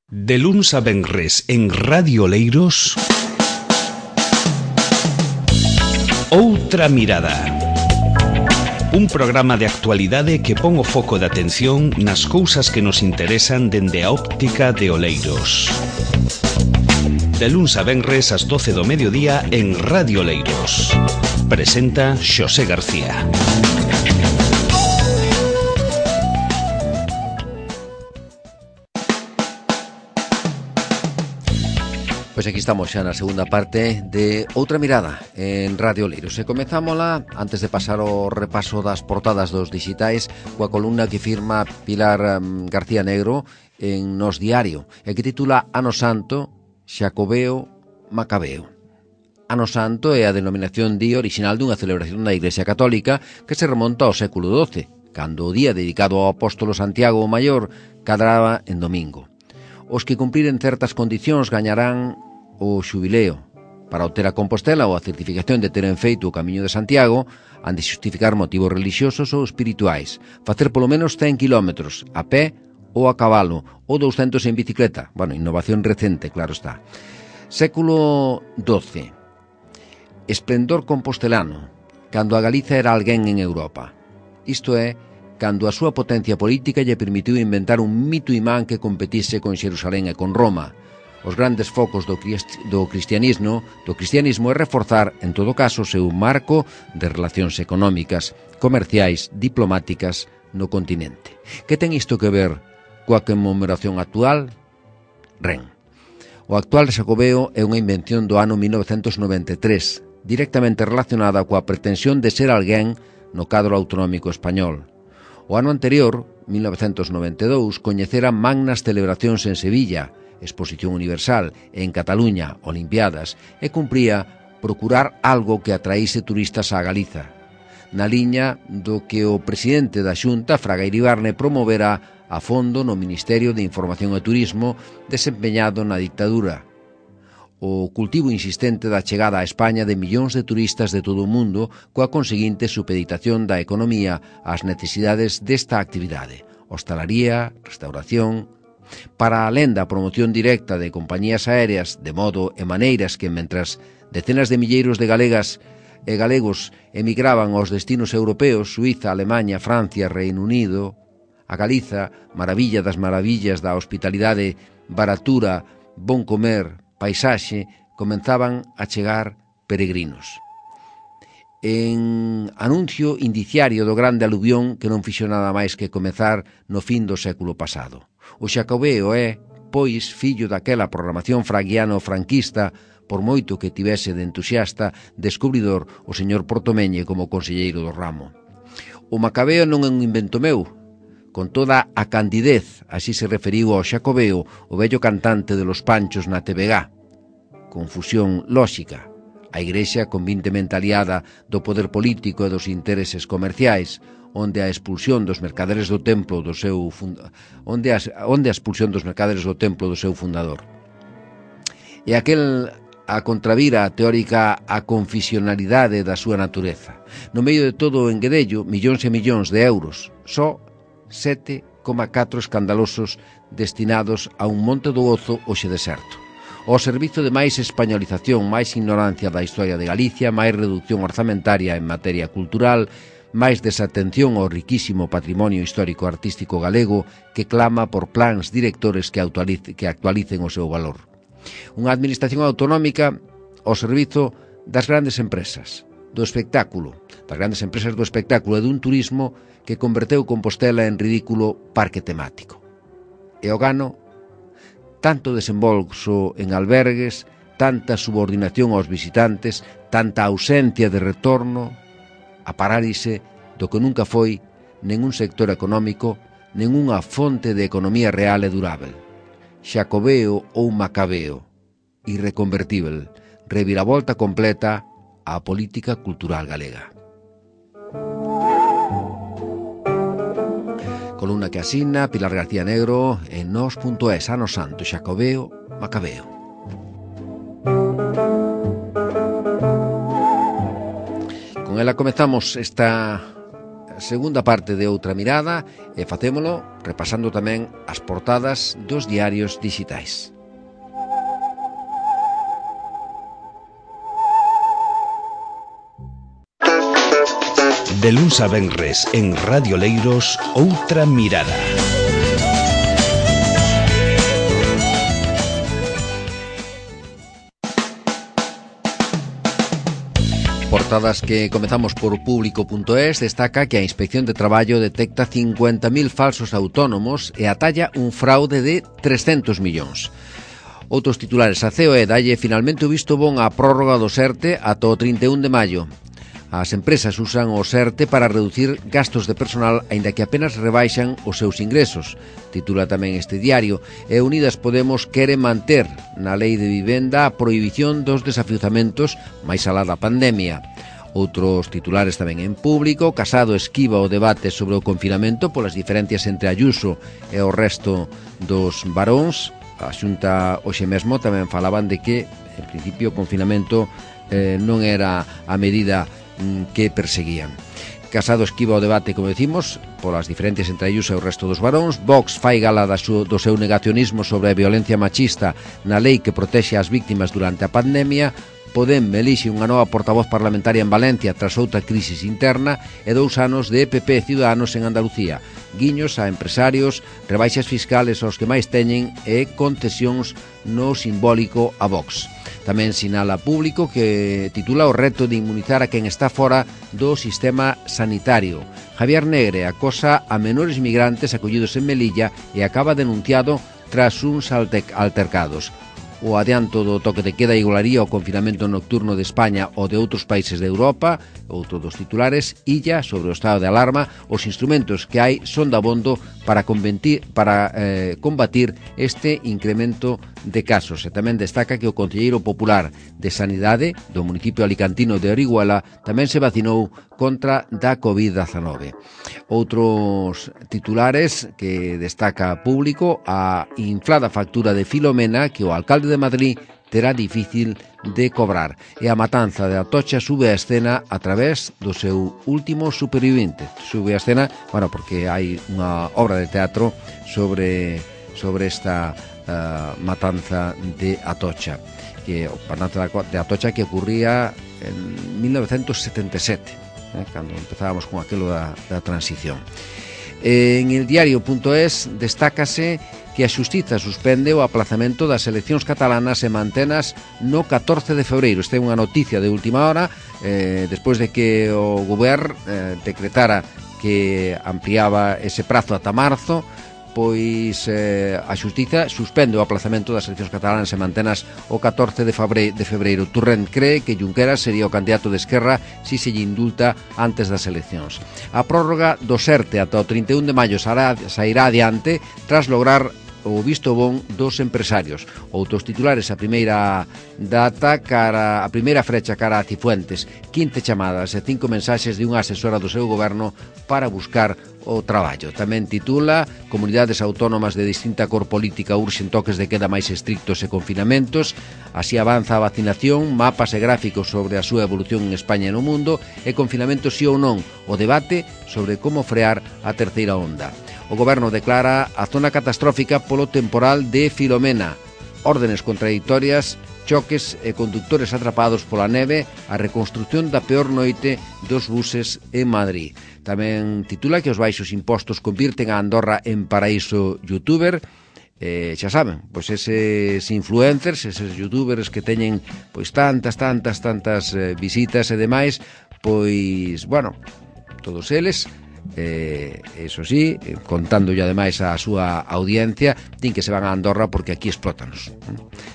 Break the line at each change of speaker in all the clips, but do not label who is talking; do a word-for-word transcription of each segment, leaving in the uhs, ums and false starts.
De luns a venres en Radio Oleiros, Outra Mirada. Un programa de actualidade que pon o foco de atención nas cousas que nos interesan dende a óptica de Oleiros. De luns a venres ás doce do mediodía en Radio Oleiros. Presenta Xosé García.
Pois aquí estamos xa na segunda parte de Outra Mirada en Radio Oleiros. E comezámola, antes de pasar ao repaso das portadas dos digitais, coa columna que firma Pilar um, García Negro en Nos Diario, e que titula Ano Santo, Xacobeo, Macabeo. Ano Santo é a denominación di orixinal dunha celebración da Iglesia Católica que se remonta ao século doce, cando o día dedicado ao apóstolo Santiago o Maior cadraba en domingo. Os que cumpriren certas condicións gañarán o xubileo. Para obter a Compostela ou a certificación de teren feito o Camiño de Santiago, han de xustificar motivos religiosos ou espirituais, facer polo menos cen kilómetros a pé ou a cabalo, ou douscentos en bicicleta. Bueno, innovación recente, claro está. Século doce. Esplendor compostelano, cando a Galiza era alguén en Europa. Isto é, cando a súa potencia política lle permitiu inventar un mito imán que competise con Xerusalén e con Roma. Os grandes focos do, crist do cristianismo do cristianismo é reforzar, en todo caso, o seu marco de relacións económicas, comerciais, diplomáticas no continente. Que ten isto que ver coa conmemoración actual? Ren. O actual Xacobeo é unha invención do ano mil novecentos noventa e tres, directamente relacionada coa pretensión de ser alguén no cadro autonómico español. O ano anterior, mil novecentos noventa e dous, coñecera magnas celebracións en Sevilla, Exposición Universal, e en Cataluña, Olimpiadas, e cumpría procurar algo que atraíse turistas á Galiza, na liña do que o presidente da Xunta, Fraga Iribarne, promovera a fondo no Ministerio de Información e Turismo desempeñado na dictadura. O cultivo insistente da chegada a España de millóns de turistas de todo o mundo coa conseguinte supeditación da economía ás necesidades desta actividade, hostalaría, restauración. Para alén da promoción directa de compañías aéreas, de modo e maneiras que, mentras decenas de milleiros de galegas e galegos emigraban aos destinos europeos, Suiza, Alemanha, Francia, Reino Unido, a Galiza, maravilla das maravillas da hospitalidade, baratura, bon comer, paisaxe, comenzaban a chegar peregrinos. En anuncio indiciario do grande aluvión que non fixo nada máis que comezar no fin do século pasado. O Xacobeo é, pois, fillo daquela programación fraguiano-franquista, por moito que tivese de entusiasta descubridor o señor Portomeñe como conselleiro do ramo. O Macabeo non é un invento meu. Con toda a candidez, así se referiu ao Xacobeo o vello cantante de Los Panchos na T V G. Confusión lóxica. A Igrexa convintemente aliada do poder político e dos intereses comerciais, onde a expulsión dos mercaderes do templo do seu funda... onde, a, onde a expulsión dos mercaderes do templo do seu fundador. E aquel a contravira a teórica a confisionalidade da súa natureza. No medio de todo o enguedello, millóns e millóns de euros, só sete coma catro escandalosos destinados a un monte do Ozo hoxe deserto. Ao servizo de máis españolización, máis ignorancia da historia de Galicia, máis reducción orzamentaria en materia cultural, máis desatención ao riquísimo patrimonio histórico-artístico galego que clama por plans directores que, actualice, que actualicen o seu valor. Unha administración autonómica ao servizo das grandes empresas, do espectáculo, das grandes empresas do espectáculo e dun turismo que converteu Compostela en ridículo parque temático. E o gano, tanto desembolso en albergues, tanta subordinación aos visitantes, tanta ausencia de retorno, a parálise do que nunca foi nen un sector económico, nen unha fonte de economía real e durável. Xacobeo ou Macabeo, irreconvertível, reviravolta completa á política cultural galega. Columna que asina Pilar García Negro en nos punto es, Ano Santo, Xacobeo, Macabeo. Con ela comezamos esta segunda parte de Outra Mirada e facémolo repasando tamén as portadas dos diarios digitais.
De luns a venres en Radio Leiros, Outra Mirada.
Portadas que comezamos por público punto es destaca que a Inspección de Traballo detecta cincuenta mil falsos autónomos e atalla un fraude de trescentos millóns. Outros titulares, a C O E dalle finalmente o visto bon á prórroga do SERTE ata o trinta e un de maio. As empresas usan o SERTE para reducir gastos de personal aínda que apenas rebaixan os seus ingresos. Titula tamén este diario. E Unidas Podemos quere manter na lei de vivenda a prohibición dos desafiuzamentos máis alá da pandemia. Outros titulares tamén en público. Casado esquiva o debate sobre o confinamento polas diferencias entre Ayuso e o resto dos varóns. A Xunta hoxe mesmo tamén falaban de que, en principio, o confinamento eh, non era a medida mm, que perseguían. Casado esquiva o debate, como decimos, polas diferencias entre Ayuso e o resto dos varóns. Vox fai gala da su, do seu negacionismo sobre a violencia machista na lei que protexe as víctimas durante a pandemia. Podem elixe unha nova portavoz parlamentaria en Valencia tras outra crisis interna e dous anos de E P P e Ciudadanos en Andalucía. Guiños a empresarios, rebaixas fiscales aos que máis teñen e concesións no simbólico a Vox. Tamén sinala Público que titula o reto de inmunizar a quen está fora do sistema sanitario. Javier Negre acosa a menores migrantes acollidos en Melilla e acaba denunciado tras uns altercados. O adianto do toque de queda igualaría o confinamento nocturno de España ou de outros países de Europa. Outro dos titulares, Illa sobre o estado de alarma. Os instrumentos que hai son dabondo para, para eh, combatir este incremento de casos. E tamén destaca que o concelleiro popular de Sanidade do municipio alicantino de Orihuela tamén se vacinou contra da covid dezanove. Outros titulares que destaca Público, a inflada factura de Filomena que o alcalde de Madrid terá difícil de cobrar. E a matanza de Atocha sube a escena a través do seu último supervivente. Sube a escena, bueno, porque hai unha obra de teatro sobre, sobre esta uh, matanza de Atocha. Que, o matanza de Atocha que ocurría en mil novecientos setenta e sete, eh, cando empezábamos con aquilo da, da transición. En el diario punto es destácase que a Xustiza suspende o aplazamento das eleccións catalanas e mantenas no catorce de febreiro. Esta é unha noticia de última hora, eh, despois de que o Goberno eh, decretara que ampliaba ese prazo ata marzo, pois eh, a Xustiza suspende o aplazamento das eleccións catalanas e mantenas o catorce de febreiro. Turrent cree que Junqueras sería o candidato de Esquerra si se lle indulta antes das eleccións. A prórroga do SERTE ata o trinta e un de maio sairá adiante tras lograr o visto bon dos empresarios. Outros titulares, a primeira data cara a primeira frecha cara a Cifuentes, quince chamadas e cinco mensaxes de unha asesora do seu goberno para buscar o traballo. Tamén titula comunidades autónomas de distinta cor política urxen toques de queda máis estrictos e confinamentos. Así avanza a vacinación, mapas e gráficos sobre a súa evolución en España e no mundo e confinamento sí ou non, o debate sobre como frear a terceira onda. O Goberno declara a zona catastrófica polo temporal de Filomena. Órdenes contradictorias, choques e conductores atrapados pola neve, a reconstrucción da peor noite dos buses en Madrid. Tamén titula que os baixos impostos convirten a Andorra en paraíso youtuber. Eh, xa saben, pois eses influencers, eses youtubers que teñen pois tantas, tantas, tantas eh, visitas e demais, pois, bueno, todos eles... Eh, eso sí, eh, contando ya ademais a súa audiencia, din que se van a Andorra porque aquí explótanos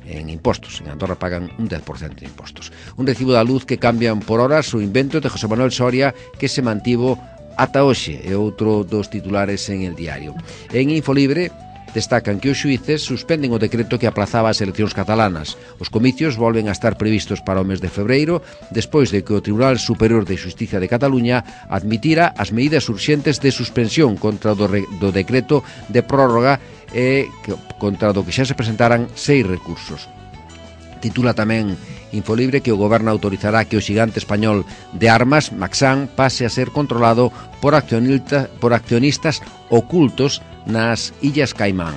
eh, en impostos. En Andorra pagan un dez por ciento de impostos. Un recibo da luz que cambian por horas, o invento de José Manuel Soria que se mantivo ata hoxe, e outro dos titulares en el diario. En Infolibre destacan que os xuíces suspenden o decreto que aplazaba as eleccións catalanas. Os comicios volven a estar previstos para o mes de febreiro, despois de que o Tribunal Superior de Xustiza de Cataluña admitira as medidas urxentes de suspensión contra o do, do decreto de prórroga e que, contra do que xa se presentaran seis recursos. Titula tamén Infolibre que o goberno autorizará que o xigante español de armas, Maxam, pase a ser controlado por, accionista, por accionistas ocultos nas Illas Caimán.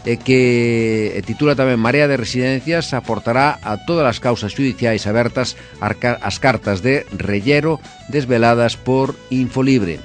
E que e titula tamén Marea de Residencias aportará a todas as causas judiciais abertas as cartas de Rellero desveladas por Infolibre.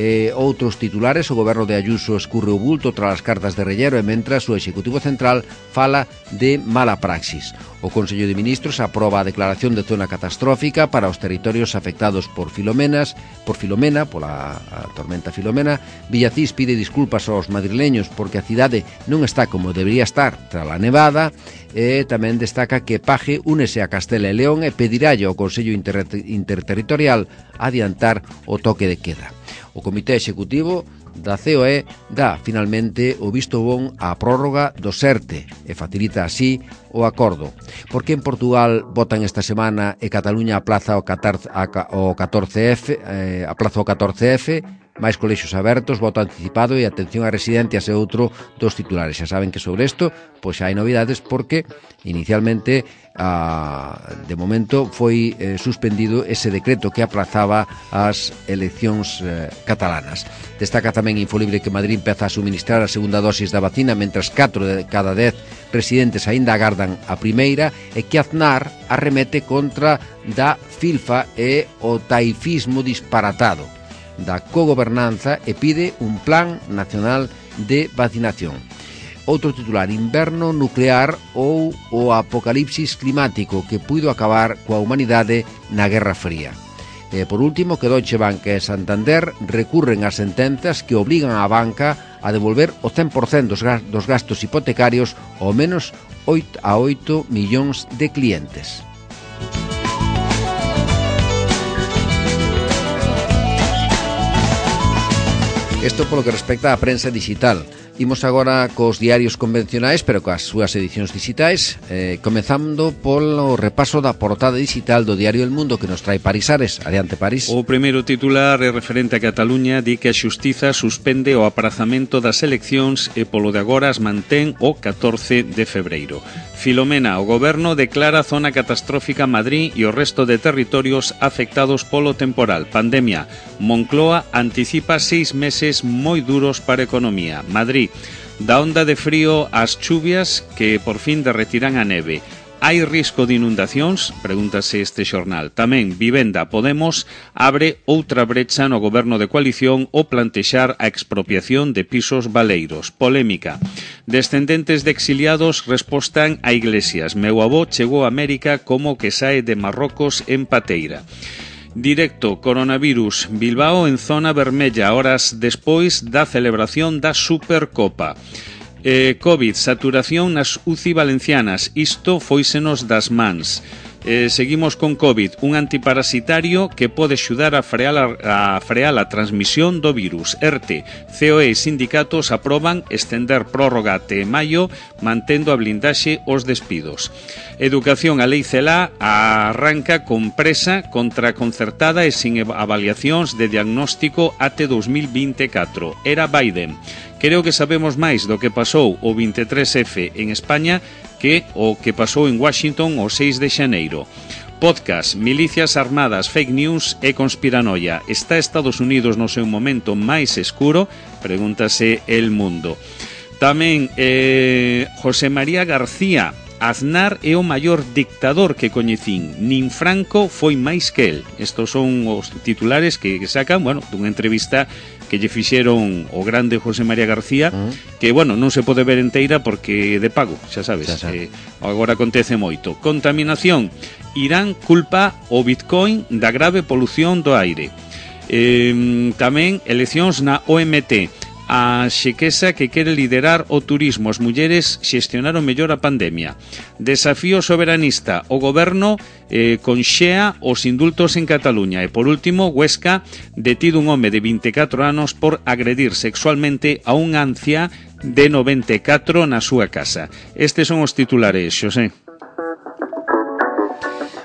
Eh, outros titulares, o goberno de Ayuso escurre o bulto tras as cartas de Rellero e mentras o Executivo Central fala de mala praxis. O Consello de Ministros aproba a declaración de zona catastrófica para os territorios afectados por Filomenas, por Filomena, pola a tormenta Filomena. Villacís pide disculpas aos madrileños porque a cidade non está como debería estar tras a nevada. E tamén destaca que Paje únese a Castela e León e pedirálle ao Consello Inter Interterritorial adiantar o toque de queda. O Comité Executivo da C O E dá finalmente o visto bon á prórroga do SERTE e facilita así o acordo. Porque en Portugal votan esta semana e Cataluña aplaza o catorce F, eh, aplaza o catorce F, máis colexios abertos, voto anticipado e atención a residentes e outro dos titulares. Xa saben que sobre isto pois hai novidades porque inicialmente a, de momento foi eh, suspendido ese decreto que aplazaba as eleccións eh, catalanas. Destaca tamén Infolibre que Madrid empeza a suministrar a segunda dosis da vacina mentras catro de cada dez residentes aínda agardan a primeira e que Aznar arremete contra da filfa e o taifismo disparatado da cogobernanza e pide un plan nacional de vacinación. Outro titular, inverno nuclear ou o apocalipsis climático que puido acabar coa humanidade na Guerra Fría. E por último, que Deutsche Bank e Santander recurren ás sentenzas que obrigan á banca a devolver o cen por cento dos gastos hipotecarios ao menos a oito millóns de clientes. Isto polo que respecta á prensa digital. Imos agora cos diarios convencionais, pero coas súas edicións digitais, eh, comezando polo repaso da portada digital do diario El Mundo que nos trae París Ares. Adiante, París.
O primeiro titular é referente a Cataluña, di que a Xustiza suspende o aprazamento das eleccións e polo de agora as mantén o catorce de febreiro. Filomena, o goberno declara zona catastrófica Madrid e o resto de territorios afectados polo temporal. Pandemia, Moncloa anticipa seis meses moi duros para a economía. Madrid, da onda de frío ás chuvias que por fin derretirán a neve. Hai risco de inundacións? Pregúntase este xornal. Tamén Vivenda Podemos abre outra brecha no goberno de coalición ao plantexar a expropiación de pisos baleiros. Polémica. Descendentes de exiliados respostan a Iglesias. Meu avó chegou a América como que sae de Marrocos en pateira. Directo, coronavirus, Bilbao en zona vermella, horas despois da celebración da Supercopa. Eh, COVID, saturación nas U C I valencianas, isto fóisenos das mans. Eh, seguimos con COVID, un antiparasitario que pode axudar a frear a, a frear a transmisión do virus. ERTE, C O E e sindicatos aproban estender prórroga até maio, mantendo a blindaxe os despidos. Educación, a lei CELA arranca con presa contra concertada e sin avaliacións de diagnóstico até dos mil vinte e catro. Era Biden. Creo que sabemos máis do que pasou o vinte e tres F en España que o que pasou en Washington o seis de xaneiro. Podcast, milicias armadas, fake news e conspiranoia. Está Estados Unidos no seu momento máis escuro? Pregúntase El Mundo. Tamén eh, José María García, Aznar é o maior dictador que coñecín, nin Franco foi máis que el. Estos son os titulares que sacan, bueno, dunha entrevista que lle fixeron o grande José María García, uh-huh. que, bueno, non se pode ver enteira porque de pago, xa sabes, xa sabe. eh, agora acontece moito. Contaminación, Irán culpa o Bitcoin da grave polución do aire. Eh, tamén eleccións na O M T, a Xequesa que quere liderar o turismo, as mulleres xestionaron mellor a pandemia. Desafío soberanista, o goberno eh, conxea os indultos en Cataluña. E por último, Huesca, detido un home de vinte e catro anos por agredir sexualmente a unha anciá de noventa e catro na súa casa. Estes son os titulares, Xosé.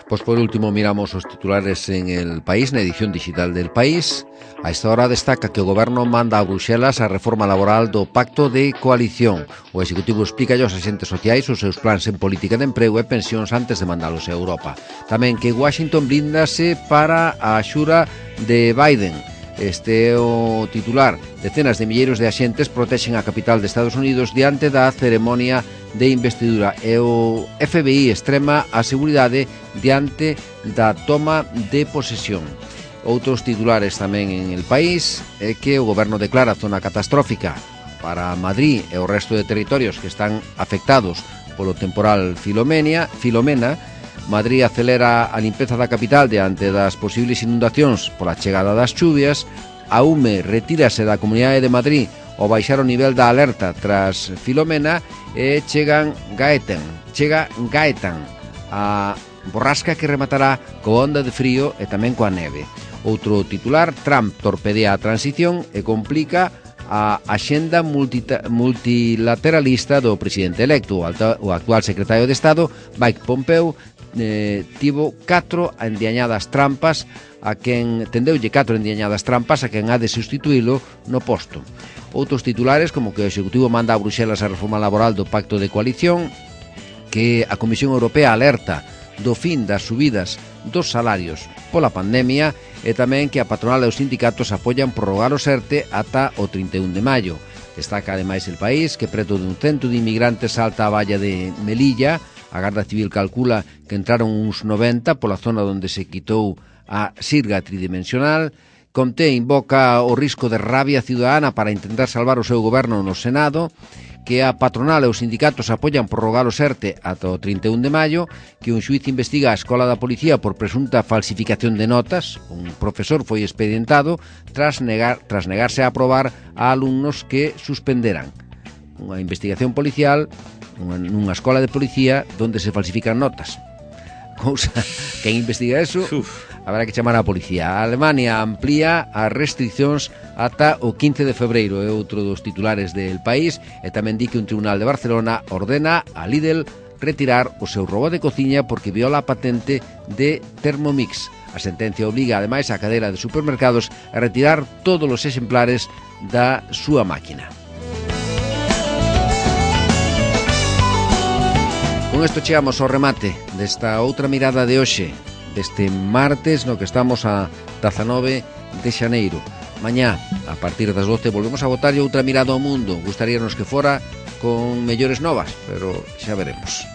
Pois Pois por último miramos os titulares en El País, na edición digital del País. A esta hora destaca que o Goberno manda a Bruxelas a reforma laboral do Pacto de Coalición. O Executivo explica aos agentes sociais os seus plans en política de emprego e pensións antes de mandalos a Europa. Tamén que Washington blindase para a axura de Biden. Este é o titular. Decenas de milleiros de axentes protexen a capital de Estados Unidos diante da ceremonia de investidura e o F B I extrema a seguridade diante da toma de posesión. Outros titulares tamén en El País é que o Goberno declara zona catastrófica para Madrid e o resto de territorios que están afectados polo temporal Filomena. Filomena. Madrid acelera a limpeza da capital diante das posibles inundacións pola chegada das chuvias. A U M E retírase da Comunidade de Madrid ao baixar o nivel da alerta tras Filomena e chegan Gaetan, chega Gaetan, a borrasca que rematará coa onda de frío e tamén coa neve. Outro titular, Trump torpedea a transición e complica a axenda multilateralista do presidente electo. O actual secretario de Estado, Mike Pompeo, eh, tivo catro endiañadas trampas a quen tendeulle catro endiañadas trampas a quen ha de sustituílo no posto. Outros titulares, como que o Executivo manda a Bruxelas a reforma laboral do Pacto de Coalición, que a Comisión Europea alerta do fin das subidas dos salarios pola pandemia e tamén que a patronal e os sindicatos apoian prorrogar o ERTE ata o trinta e un de maio. Destaca ademais El País que preto dun cento de inmigrantes salta a valla de Melilla. A Garda Civil calcula que entraron uns noventa pola zona onde se quitou a sirga tridimensional. Comté invoca o risco de rabia ciudadana para intentar salvar o seu goberno no Senado, que a patronal e os sindicatos apoian prorrogar o ERTE ata o trinta e un de maio, que un xuiz investiga a Escola da Policía por presunta falsificación de notas. Un profesor foi expedientado tras, negar, tras negarse a aprobar a alumnos que suspenderan. Unha investigación policial nunha escola de policía onde se falsifican notas. Cousa, quen investiga eso, Uf. habrá que chamar a policía. A Alemania amplía as restriccións ata o quince de febreiro, é outro dos titulares del País, e tamén di que un tribunal de Barcelona ordena a Lidl retirar o seu robot de cociña porque viola a patente de Thermomix. A sentencia obliga ademais a cadena de supermercados a retirar todos os exemplares da súa máquina. Con isto chegamos ao remate desta outra mirada de hoxe, deste martes no que estamos a dezanove de xaneiro. Mañá, a partir das doce, volvemos a botarlle outra mirada ao mundo. Gustaríanos que fora con mellores novas, pero xa veremos.